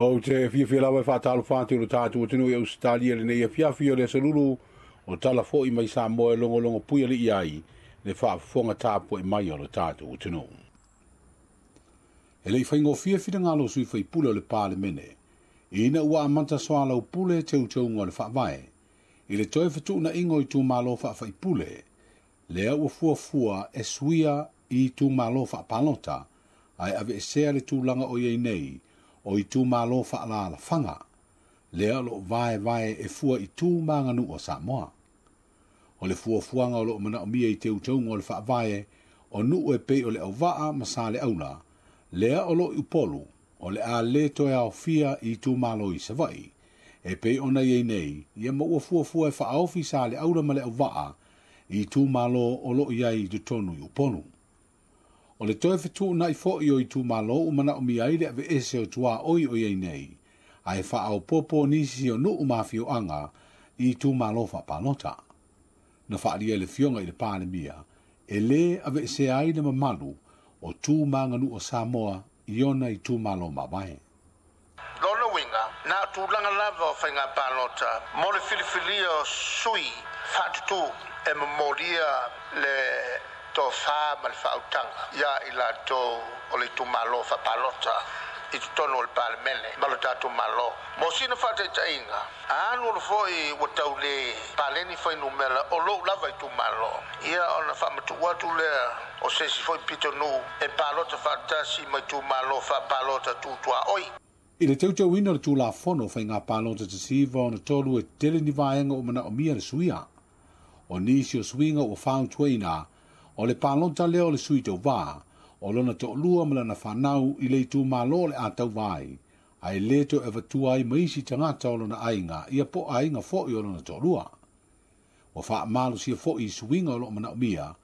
Ou te fiafia lava e faatalofa atu i lo tatou atunuu i Ausetalia i lenei afiafi o le Aso Lulu o tala foi mai Samoa e logologo puialii ai le faafofoga tapuai mai o lo tatou atunuu. E le i faigofie finagalo o sui faipule o le Palemene, ina ua amata soalaupule teuteuga o le Faavae i le toe fetuunaiga o itumalo faafaipule, lea ua fuafua e suia i itumalo faapalota, ae aveesea le tulaga o i ai nei o itumalo faaalaalafaga, lea o lo o vaevae e fua i tu ma aganuu a Samoa. O le fuafuaga o lo o manaomia i teuteuga o le Faavae o nuu e pei o Leauvaa ma Saleaula, lea o lo o i Upolu, o le a le toe aofia i itumalo i Savaii, e pei ona i ai nei, ia ma ua fuafua e faaofi Saleaula ma Leauvaa i itumalo o lo o i ai i totonu i Upolu. O le toe fetuunai foi o itumalo ua manaomia ai le aveese o tuaoi o i ai nei, ae faaopoopo nisi o nuu ma afioaga i itumalo faapalota. Na faaalia e le Afioga i le Palemia, e lē aveesea ai le mamalu o tu ma aganuu a Samoa i ona itumalo mavae. Lona uiga, na o tulaga lava o faiga palota mo le filifilia o sui faatutu e momolia le tofa ma le faautaga ia i latou o le itumalo faapalota i totonu o le Palemene ma lo tatou Malo. Mo sina faataitaiga, a alu alu foi ua tau le paleni fuainumera o lou lava itumalo, ia ona faamatuu atu lea o se isi foi pitonuu e palota faatasi ma itumalo faapalota tu tuaoi. I le teuteuina o le Tulafono o Faiga Palota 1963 e tele ni vaega ua manaomia le suia. O nisi o suiga ua fautuaina, o le palota lea o le sui tauva, o lona toalua ma lana fanau i le itumalo o le a tauva ai, ae le toe avatua ai ma isi tagata o lona aiga ia po o aiga foi o lona toalua. Ua faamalosia foi i suiga o lo o manaomia,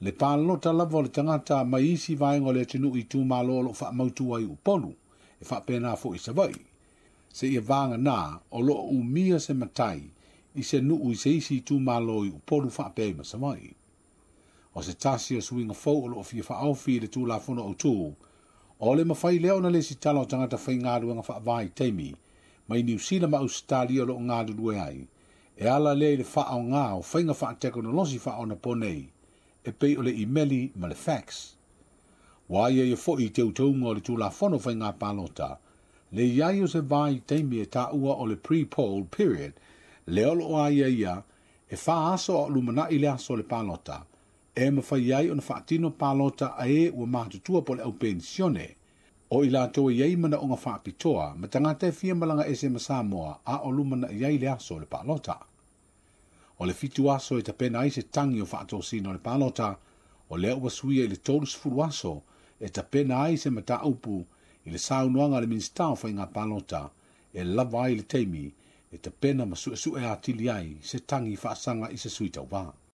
le palota lava o le tagata mai isi vaega o le atunuu i itumalo o lo o faamautu ai i Upolu, e faapena foi i Savaii, seia vagana o lo o umia se matai i se nuu i se isi itumalo i Upolu faapea ai ma Savaii. O se tasi o suiga fou o lo o fia faaofi i le Tulafono Autu, o le mafai lea ona lesitala o tagata faigaluega faavaitaimi mai Niu Sila ma Ausetalia o lo o galulue ai, e ala lea i le faaaoga o faiga faatekonolosi faaonaponei e pei o le imeli ma le fax. Ua aiaia foi i teuteuga o le Tulafono Faiga Palota le i ai o se vaitaimi e taua o le pre-poll period, lea o lo o aiaia e 4 aso a o lumanai le aso o le palota, e mafai ai ona faatino palota a e ua matutua po o le au penisione, o i latou e i ai manaoga faapitoa ma tagata e fia malaga ese ma Samoa a o lumanai ai le aso o le palota. O le 7 aso e tapena ai se tagi o faatosina o le palota, o lea ua suia i le 30 aso e tapena ai se mataupu i le saunoaga a le Minisita o Faiga Palota e lava ai le taimi e tapena ma suesue atili ai se tagi faasaga i se sui tauva.